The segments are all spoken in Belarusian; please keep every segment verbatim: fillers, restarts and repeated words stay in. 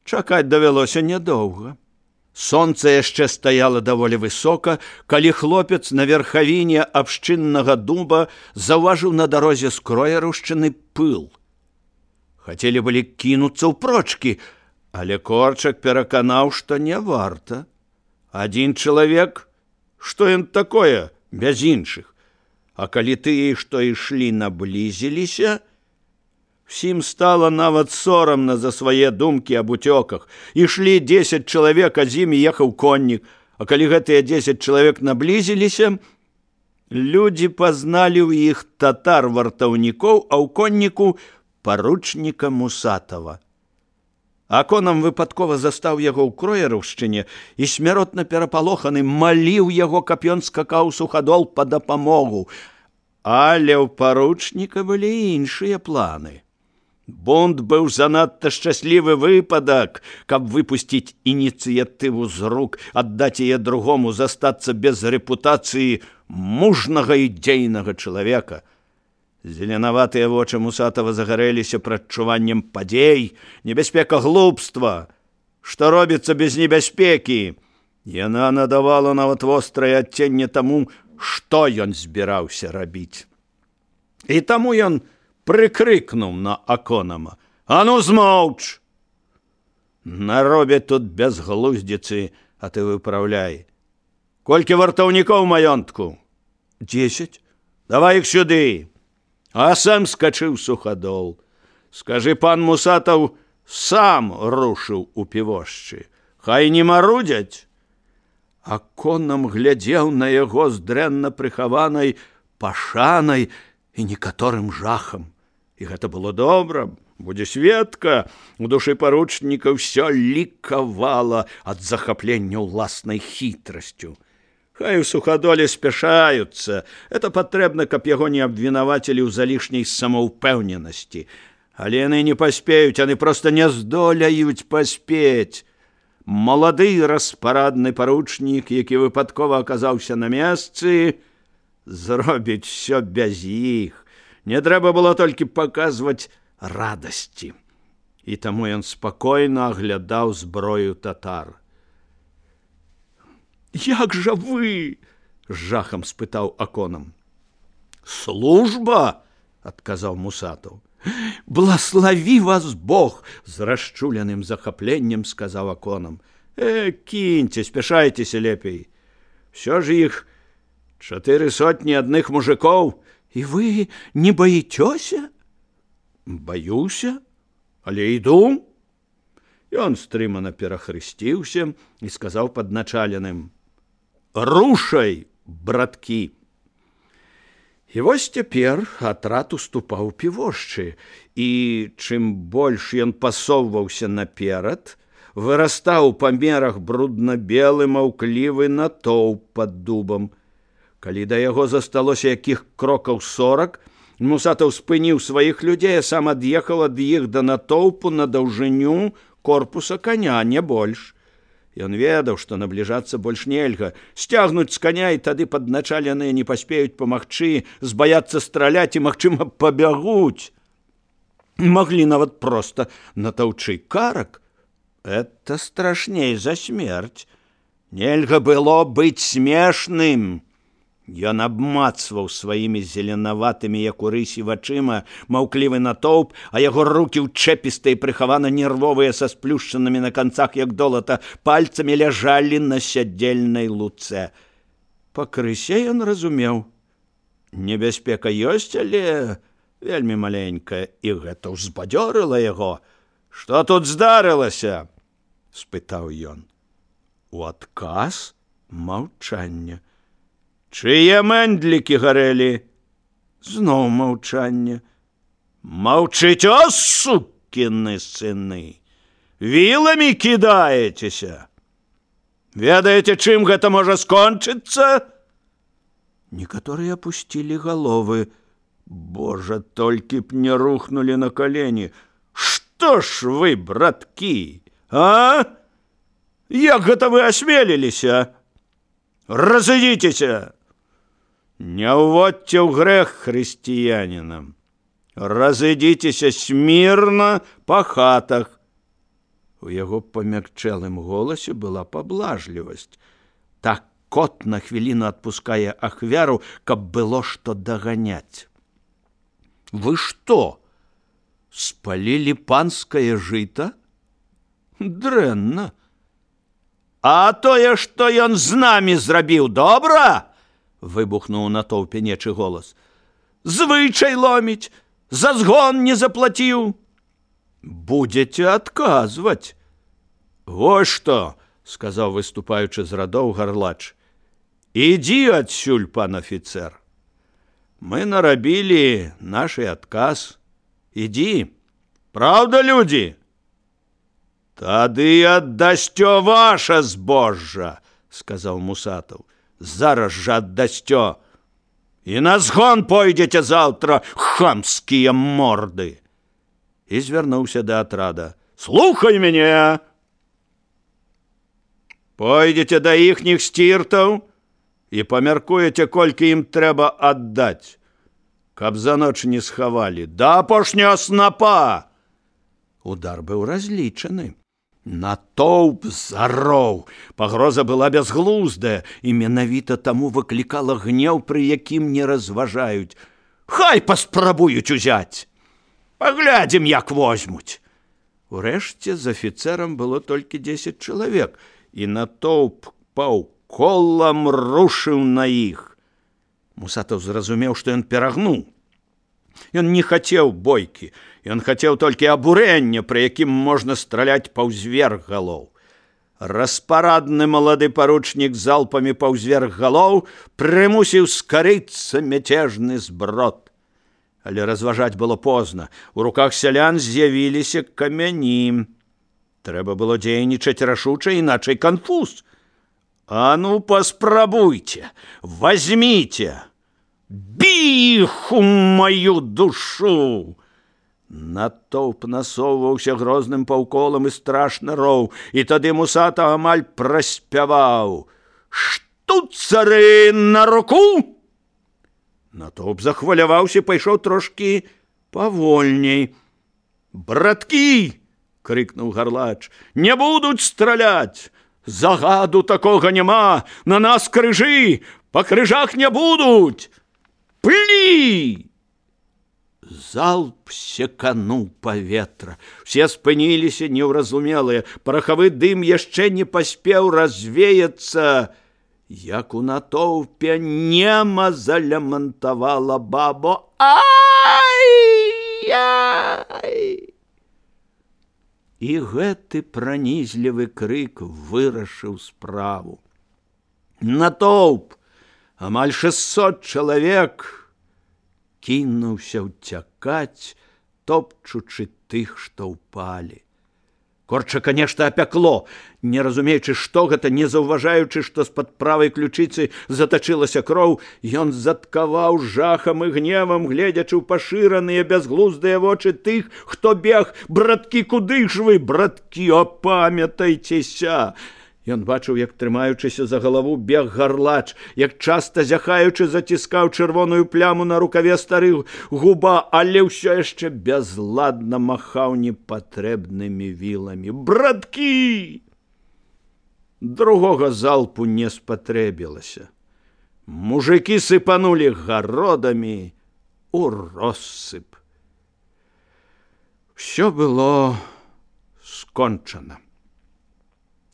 Чакаць давялося нядоўга. Сонца яшчэ стаяла даволі высока, калі хлопец на верхавіне абшчыннага дуба заўважыў на дарозе скроерушчыны пыл. Хацелі былі кінуцца ў прочкі, але Корчак пераканаў, што не варта. Адзін чалавек, што ён такое без іншых? А калі тыя, што ішлі, наблізіліся, всім стала нават сорамна за свае думкі аб уцёках. Ішлі дзесяць чалавек, а з імі ехаў коннік. А калі гэтыя дзесяць чалавек наблізіліся, людзі пазналі ў іх татар-вартаўнікоў, а ў конніку паручніка Мусатава. Аконам выпадкова застаў яго ў кроерушчыне і смяротна перапалоханы маліў яго, каб ён скакаў суходол па дапамогу. Але ў паручніка былі іншыя планы. Бунт быў занадта шчаслівы выпадак, каб выпусціць ініцыятыву з рук, аддаць яе другому, застацца без рэпутацыі мужнага і дзейнага чалавека. Зеленаватыя вочы Мусатава загарэліся прадчуваннем падзей, небяспека глупства. Што робіцца без небяспекі? Яна надавала нават вострае адценне таму, што ён збіраўся рабіць. І таму ён прыкрыкнуў на Аконама: «А ну змоўч! Наробяць тут бязглуздзіцы, а ты выпраўляй. Колькі вартаўнікоў маёнтку?» «Дзесяць». «Давай іх сюды!» А сам скачыў суходол. «Скажы, пан Мусатаў сам рушыў у півошчы. Хай не марудзяць». Аконам глядзеў на яго з дрэнна прыхаванай пашанай і некаторым жахам. І гэта было добра, будзе сведка. У душы паручніка ўсё лікавала ад захаплення ўласнай хітрасцю. Хай у суходоле спяшаюцца. Это патрэбна, каб яго не абвінавацілі ў залішняй самаўпэўненасці. Але яны не паспеюць, яны проста не здолеюць паспець. Малады распарадны паручнік, які выпадкова аказаўся на месцы, зробіць усё без іх. Не трэба было толькі паказваць радасці. І таму ён спакойна аглядаў зброю татар. «Як жа вы?» – з жахам спытаў Аконам. «Служба!» – адказаў Мусатаў. «Блаславі вас Бог!» – з расчуленым захапленнем сказаў Аконам. «Э, кіньце, спяшайцеся лепей. Всё ж іх чатыры сотні адных мужикоў. І вы не баіцёся?» «Баюся, але іду». Ён стрымана перахрысціўся і сказаў падначаленым: «Рушай, браткі!» І вось цяпер атрад уступаў півошчы, і чым больш ён пасоўваўся наперад, вырастаў у памерах брудна-белы маўклівы натоўп пад дубам. Калі да яго засталося якіх крокаў сорак, Мусатаў спыніў сваіх людзей, а сам ад'ехаў ад іх да натоўпу на даўжыню корпуса коня, не больш. Ён ведаў, што набліжацца больш нельга. Сцягнуць з коня, і тады падначаленыя не паспеюць памагчы, збаяцца страляць і, магчыма, пабягуць. Маглі нават проста натаўчы карак. Это страшней за смерць. Нельга было быць смешным. Ён абмацваў сваімі зеленаватымі, як у рысі, вачыма маўклівы натоўп, а яго рукі ўчэпістыя і прыхавана нервовыя са сплюшчанымі на канцах, як долата, пальцамі ляжалі на сядзельнай луцэ. Пакрысе ён разумеў. Небяспека ёсць, але вельмі маленькая, і гэта ўзбадзёрыла яго. «Што тут здарылася?» – спытаў ён. У адказ маўчанне. «Чые мэндлікі гарэлі?» Зноў маўчанне. «Маўчыць, о, сукіны сыны! Віламі кідаецеся? Ведаеце, чым гэта можа скончыцца?» Некаторыя апусцілі галовы. Божа, толькі б не рухнулі на калені. «Што ж вы, браткі, а? Як гэта вы асмеліліся? Разыдзіцеся! Не ўводьце ў грэх хрысціянінам. Разыдзіцеся смірна па хатах». У яго памякчэлым голасе была паблажлівасць. Так кот на хвіліну адпускае ахвяру, каб было што даганяць. Вы што, спалілі панскае жыта? Дрэнна. А тое, што ён з намі зрабіў, добра? Выбухнуў на тоўпе нечы голас. Звычай ломіць, за згон не заплаціў. Будзеце адказваць. Вось што, сказаў, выступаючы з радоў Гарлач. Ідзі адсюль, пан афіцэр. Мы нарабілі наш адказ. Ідзі. Праўда, людзі? Тады аддасцё ваша збожжа, сказаў Мусатаў. Зараз жа аддасцё. І на згон пойдзеце заўтра, хамскія морды. І звярнуўся да атрада. Слухай мяне! Пойдзеце да іхніх сціртаў і памяркуеце, колькі ім трэба аддаць, каб за ноч не схавалі. Да апошняга снапа! Удар быў разлічаны. Натоўп зароў. Пагроза была бязглуздая і менавіта таму выклікала гнеў, пры якім не разважаюць. Хай паспрабуюць узяць. Паглядзім, як возьмуць. Урэшце з афіцэрам было толькі дзесяць чалавек, і натоўп паўколам рушыў на іх. Мусатаў зразумеў, што ён перагнуў. Ён не хацеў бойкі, ён хацеў толькі абурэння, пры якім можна страляць паўзверх галоў. Распарадны малады паручнік залпамі паўзверх галоў прымусіў скарыцца мяцежны зброд. Але разважаць было позна. У руках сялян з'явіліся камяні. Трэба было дзейнічаць рашуча, іначай канфуз. А ну, паспрабуйце, возьміце, бі іх у маю душу! Натоўп насоўваўся грозным паўколам і страшна роў, і тады Мусата амаль праспяваў. Штуцары на руку! Натоўп захваляваўся, пайшоў трошкі павольней. Браткі! Крыкнуў Гарлач. Не будуць страляць! Загаду такога няма! На нас крыжы! Па крыжах не будуць! Плі! Залп секануў паветра. Все спыніліся неўразумелыя. Парахавы дым яшчэ не паспеў развеяцца, як у натоўпе нема залямантавала бабо. Ай-яй! І гэты пранізлівы крык вырашыў справу. Натоўп, амаль шэсцьсот чалавек, кінуўся ўцякаць, топчучы тых, што ўпалі. Корчака нешта апякло, не разумеючы, што гэта, не заўважаючы, што з-пад правай ключыцы затачылася кроў, ён заткаваў жахам і гневам, гледзячы ў пашыраныя бязглуздыя вочы тых, хто бег. Браткі, куды ж вы, браткі, апамятайцеся! Ён бачыў, як, трымаючыся за галаву, бег Гарлач, як часта зяхаючы заціскаў чырвоную пляму на рукаве стары губа, але ўсё яшчэ бязладна махаў непатрэбнымі віламі. Браткі! Другога залпу не спатрэбілася. Мужыкі сыпанулі гародамі у россып. Усё было скончана.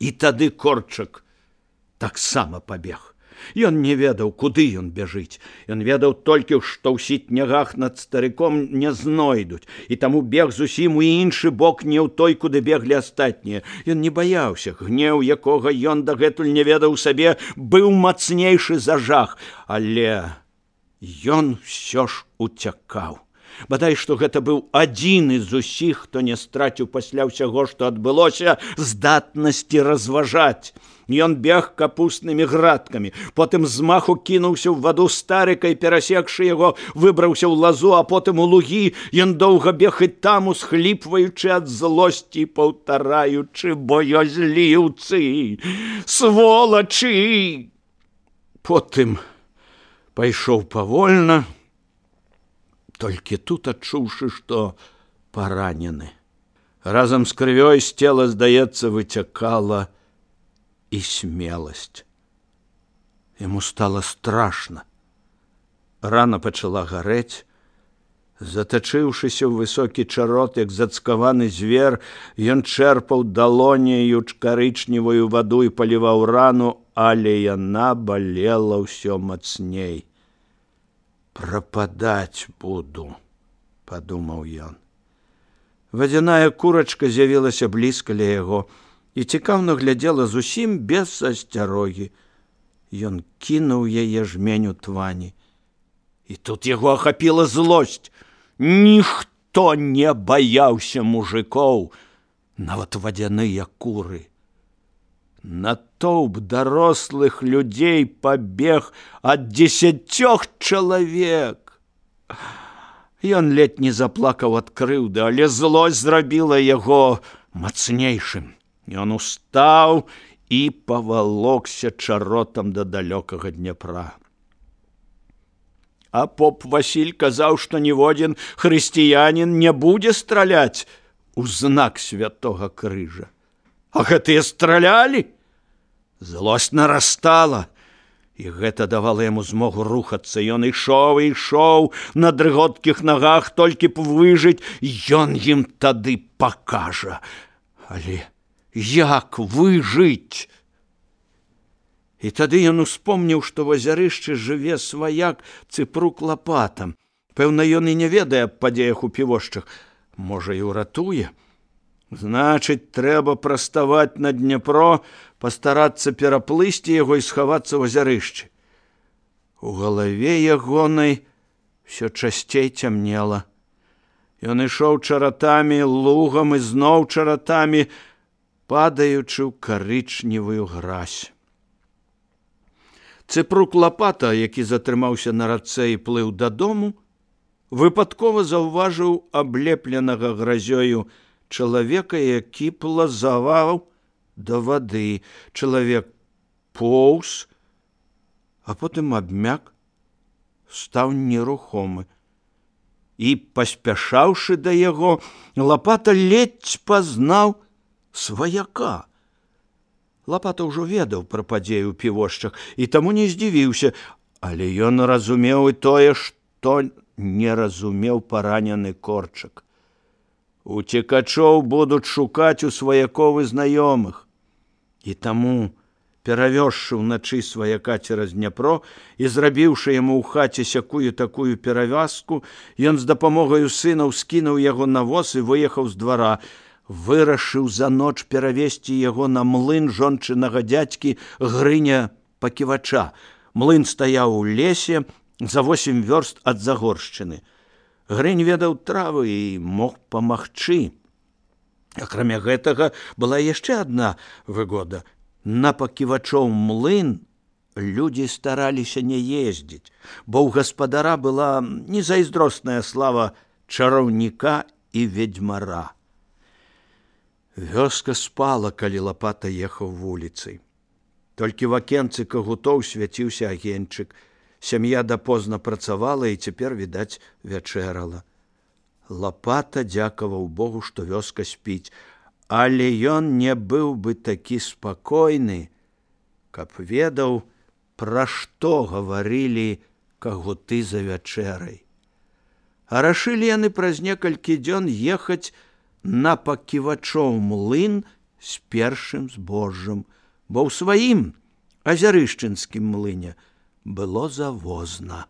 І тады Корчак таксама пабег. Ён не ведаў, куды ён бяжыць. Ён ведаў толькі, што ў сітнягах над старыком не знойдуць, і таму бег зусім у іншы бок, не ў той, куды беглі астатнія. Ён не баяўся. Гнеў, якога ён дагэтуль не ведаў сабе, быў мацнейшы за жах. Але ён усё ж уцякаў. Бадай, што гэта быў адзін з усіх, хто не страціў пасля ўсяго, што адбылося, здатнасці разважаць. Ён бег капуснымі градкамі, потым з маху кінуўся ў ваду старыка і, перасекшы яго, выбраўся ў лазу, а потым у лугі. Ён доўга бег і там, усхліпваючы ад злосці, паўтараючы: боязліўцы, сволачы! Потым пайшоў павольна, толькі тут адчуўшы, што паранены. Разом з крывёй з цела, здаецца, выцякала і смеласць. Яму стала страшна. Рана пачала гарэць. Затачыўшыся ў высокі чарот, як зацкаваны звер, ён чэрпаў далоняю карычневую ваду і паліваў рану, але яна балела ўсё мацней. «Прападаць буду», – падумаў ён. Вадзяная курачка з'явілася блізка ля яго і цікаўна глядзела зусім без асцярогі. Ён кінуў яе жменю твані. І тут яго ахапіла злосць. Ніхто не баяўся мужикоў, нават вадзяныя куры. Натоўп дарослых людзей пабег ад дзесяцёх чалавек. Ён ледзь не заплакаў ад крыўды, але злосць зрабіла яго мацнейшым. Ён устаў і павалокся чаротам да далёкага Дняпра. А поп Васіль казаў, што ніводзін хрысціянін не будзе страляць у знак святога крыжа. А гэтыя стралялі? Злосць нарастала, і гэта давала яму змогу рухацца. Ён ішоў і ішоў на дрыготкіх нагах, толькі б выжыць, ён ім тады пакажа. Але як выжыць? І тады ён успомніў, што в азярышчы жыве сваяк Цыпрук Лапата. Пэўна, ён і не ведае аб падзеях у Півошчах. Можа, і ўратуе. Значыць, трэба праставаць на Дняпро, пастарацца пераплысці яго і схавацца ў азярышчы. У галаве ягонай всё часцей цямнела. Ён ішоў чаратамі, лугам і зноў чаратамі, падаючы ў карычневую гразь. Цыпрук Лапата, які затрымаўся на рацэ і плыў дадому, выпадкова заўважыў аблепленага гразёю чалавека, які плазаваў да вады. Чалавек поўз, а потым абмяк, стаў нерухомы. І, паспяшаўшы да яго, Лапата ледзь пазнаў сваяка. Лапата ўжо ведаў пра падзеі ў Півошчах і таму не здзівіўся, але ён разумеў і тое, што не разумеў паранены Корчак. Уцекачоў будуць шукаць у сваякоў і знаёмых. І таму, перавёзшы ўначы сваяка цераз Дняпро і зрабіўшы яму ў хаце сякую такую перавязку, ён з дапамогаю сынаў скінуў яго на воз і выехаў з двара. Вырашыў за ноч перавесці яго на млын жончынага дзядзькі Грыня Паківача. Млын стаяў у лесе за восем вёрст ад Загоршчыны. Грынь ведаў травы і мог памагчы. Акрамя гэтага, была яшчэ адна выгода. На Паківачоў млын людзі стараліся не ездзіць, бо ў гаспадара была незайздросная слава чараўніка і ведзьмара. Вёска спала, калі Лапата ехаў вуліцай. Толькі в акенцы кагутоў свяціўся агеньчык. Сям'я дапозна працавала і цяпер, відаць, вячэрала. Лапата дзякаваў Богу, што вёска спіць, але ён не быў бы такі спакойны, каб ведаў, пра што гаварылі кагуты за вячэрай. А рашылі яны праз некалькі дзён ехаць на Паківачоў млын з першым збожжам, бо ў сваім азярышчынскім млыне было завозна.